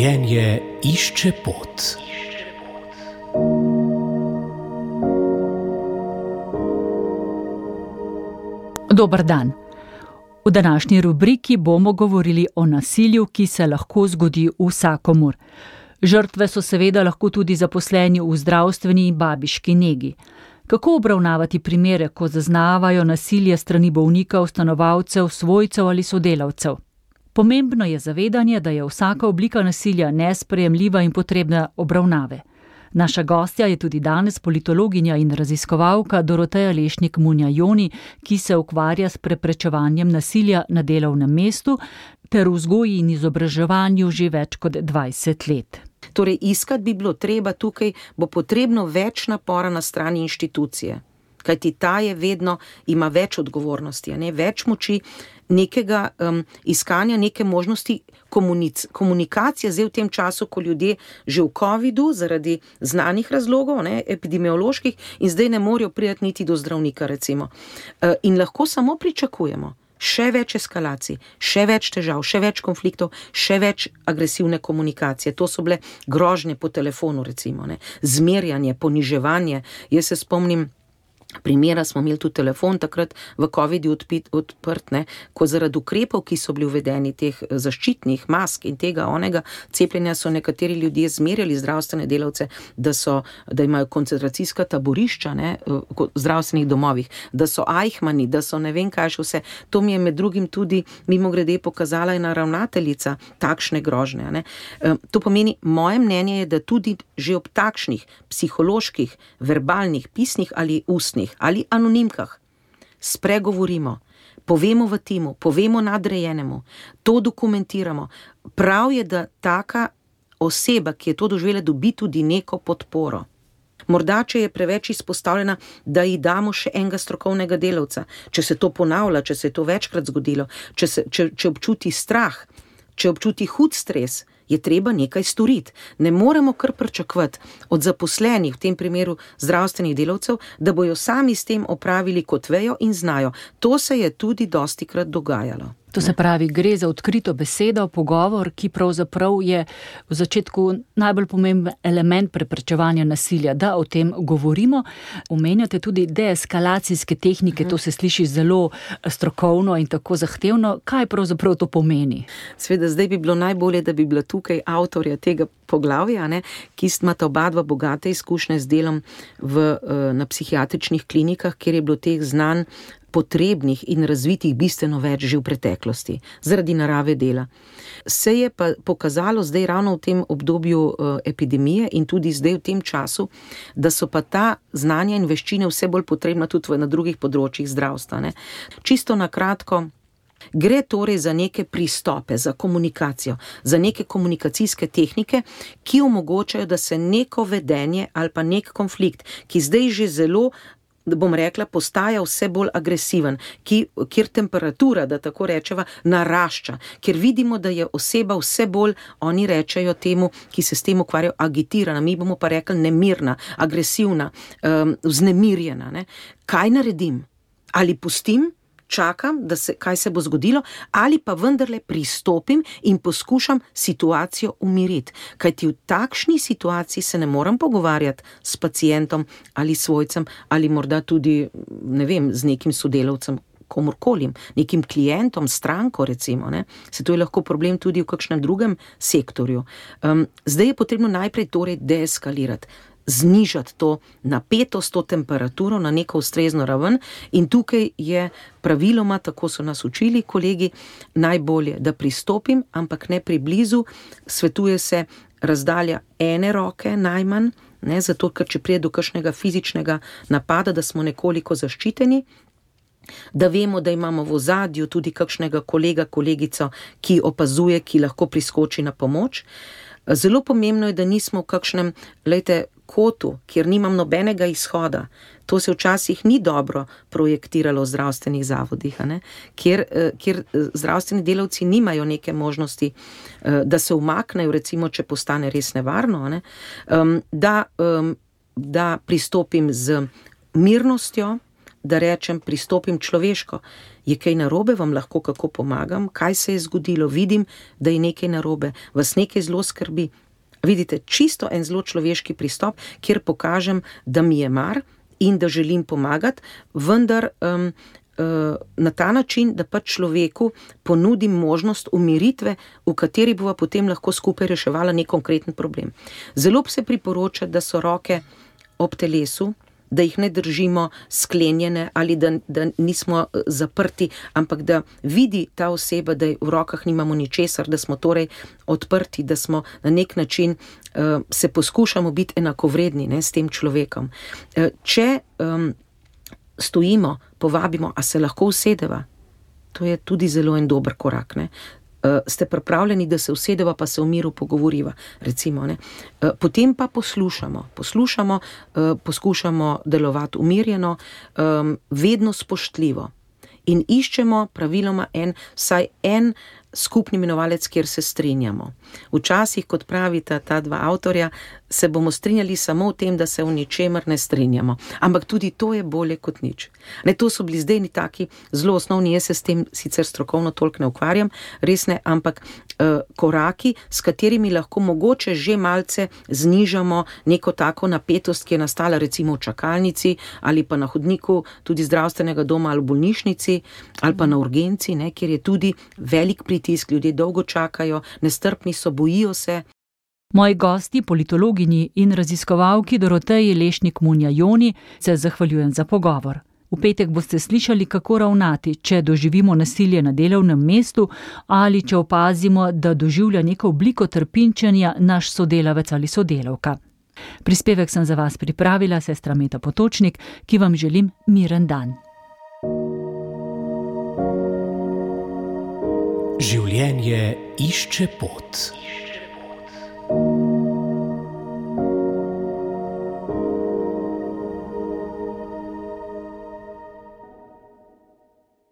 Življenje išče pot. Dober dan. V današnji rubriki bomo govorili o nasilju, ki se lahko zgodi vsakomur. Žrtve so seveda lahko tudi zaposleni v zdravstveni in babiški negi. Kako obravnavati primere, ko zaznavajo nasilje strani bolnikov, stanovalcev, svojcev ali sodelavcev? Pomembno je zavedanje, da je vsaka oblika nasilja nesprejemljiva in potrebna obravnave. Naša gostja je tudi danes politologinja in raziskovalka Doroteja Lešnik-Munja-Joni, ki se ukvarja s preprečevanjem nasilja na delovnem mestu ter vzgoji in izobraževanju že več kot 20 let. Torej, iskati bi bilo treba tukaj, bo potrebno več napora na strani inštitucije. Kajti ta je vedno, ima več odgovornosti, več moči, nekega iskanja, neke možnosti komunikacije zdaj v tem času, ko ljudje že v covidu zaradi znanih razlogov, epidemioloških, in zdaj ne morejo priti niti do zdravnika, recimo. In lahko samo pričakujemo še več eskalacij, še več težav, še več konfliktov, še več agresivne komunikacije. To so bile grožnje po telefonu, recimo, zmerjanje, poniževanje. Jaz se spomnim primera, smo imeli tudi telefon takrat v covidu odprt, ko zaradi ukrepov, ki so bili uvedeni, teh zaščitnih mask in tega onega cepljenja, so nekateri ljudje zmerjali zdravstvene delavce, da imajo koncentracijska taborišča v zdravstvenih domovih, da so ajhmani, da so ne vem kaj še vse. To mi je med drugim tudi mimogrede pokazala ena ravnateljica takšne grožnje. To pomeni, moje mnenje je, da tudi že ob takšnih psiholoških, verbalnih, pisnih ali ustnih ali anonimkah spregovorimo, povemo v timu, povemo nadrejenemu, to dokumentiramo. Prav je, da taka oseba, ki je to doživela, dobi tudi neko podporo. Morda, če je preveč izpostavljena, da ji damo še enega strokovnega delavca, če se to ponavlja, če se je to večkrat zgodilo, če občuti strah, če občuti hud stres, je treba nekaj storiti. Ne moremo kar pričakovati od zaposlenih, v tem primeru zdravstvenih delavcev, da bojo sami s tem opravili, kot vejo in znajo. To se je tudi dostikrat dogajalo. To se pravi, gre za odkrito besedo, pogovor, ki pravzaprav je v začetku najbolj pomemben element preprečevanja nasilja, da o tem govorimo. Omenjate tudi deeskalacijske tehnike, to se sliši zelo strokovno in tako zahtevno. Kaj pravzaprav to pomeni? Seveda, zdaj bi bilo najbolje, da bi bila tukaj avtorja tega poglavja, ki imata oba dva bogate izkušnje z delom na psihiatričnih klinikah, kjer je bilo teh znanj potrebnih in razvitih bistveno več že v preteklosti, zaradi narave dela. Se je pa pokazalo zdaj ravno v tem obdobju epidemije in tudi zdaj v tem času, da so pa ta znanja in veščine vse bolj potrebna tudi na drugih področjih zdravstva. Čisto na kratko, gre torej za neke pristope, za komunikacijo, za neke komunikacijske tehnike, ki omogočajo, da se neko vedenje ali pa nek konflikt, ki zdaj že zelo, bom rekla, postaja vse bolj agresiven, kjer temperatura, da tako rečeva, narašča, kjer vidimo, da je oseba vse bolj, oni rečejo temu, ki se s tem ukvarjajo, agitirana, mi bomo pa rekli nemirna, agresivna, vznemirjena. Kaj naredim? Ali pustim, čakam, kaj se bo zgodilo, ali pa vendarle pristopim in poskušam situacijo umiriti. Kajti v takšni situaciji se ne moram pogovarjati s pacientom ali svojcem, ali morda tudi, ne vem, z nekim sodelavcem, komorkoli, nekim klientom, stranko recimo. Se to je lahko problem tudi v kakšnem drugem sektorju. Zdaj je potrebno najprej torej deeskalirati, znižati to napetost, to temperaturo na neko ustrezno raven, in tukaj je praviloma, tako so nas učili kolegi, najbolje, da pristopim, ampak ne priblizu. Svetuje se razdalja ene roke najmanj, zato ker če pride do kakšnega fizičnega napada, da smo nekoliko zaščiteni, da vemo, da imamo v ozadju tudi kakšnega kolega, kolegico, ki opazuje, ki lahko priskoči na pomoč. Zelo pomembno je, da nismo v kakšnem, kotu, kjer nimam nobenega izhoda. To se včasih ni dobro projektiralo v zdravstvenih zavodih, kjer zdravstveni delavci nimajo neke možnosti, da se umaknejo, recimo, če postane res nevarno, da pristopim z mirnostjo, da rečem, pristopim človeško. Je kaj narobe, vam lahko kako pomagam, kaj se je zgodilo, vidim, da je nekaj narobe, vas nekaj zelo skrbi. Vidite, čisto en zelo človeški pristop, kjer pokažem, da mi je mar in da želim pomagati, vendar na ta način, da pač človeku ponudim možnost umiritve, v kateri bova potem lahko skupaj reševala nek konkreten problem. Zelo se priporoča, da so roke ob telesu, da jih ne držimo sklenjene ali da nismo zaprti, ampak da vidi ta oseba, da v rokah nimamo ničesar, da smo torej odprti, da smo na nek način se poskušamo biti enakovredni, ne, s tem človekom. Če stojimo, povabimo, a se lahko usedeva, to je tudi zelo en dober korak, ne. Ste pripravljeni, da se usedeva, pa se v miru pogovoriva, recimo, ne. Potem pa poslušamo, poskušamo delovati umirjeno, vedno spoštljivo in iščemo praviloma vsaj en skupni imenovalec, kjer se strinjamo. Včasih, kot pravita ta dva avtorja, se bomo strinjali samo v tem, da se v ničemer ne strinjamo. Ampak tudi to je bolje kot nič. Ne, to so bili zdaj taki zelo osnovni, jaz se s tem sicer strokovno toliko ne ukvarjam, res ne, ampak koraki, s katerimi lahko mogoče že malce znižamo neko tako napetost, ki je nastala recimo v čakalnici ali pa na hodniku tudi zdravstvenega doma ali v bolnišnici ali pa na urgenci, ne, kjer je tudi velik pritisk, ljudje dolgo čakajo, nestrpni so, bojijo se. Moji gosti, politologinji in raziskovalki Doroteji Lešnik-Munja-Joni, se zahvaljujem za pogovor. V petek boste slišali, kako ravnati, če doživimo nasilje na delovnem mestu ali če opazimo, da doživlja neko obliko trpinčenja naš sodelavec ali sodelavka. Prispevek sem za vas pripravila sestra Meta Potočnik, ki vam želim miren dan. Življenje išče pot.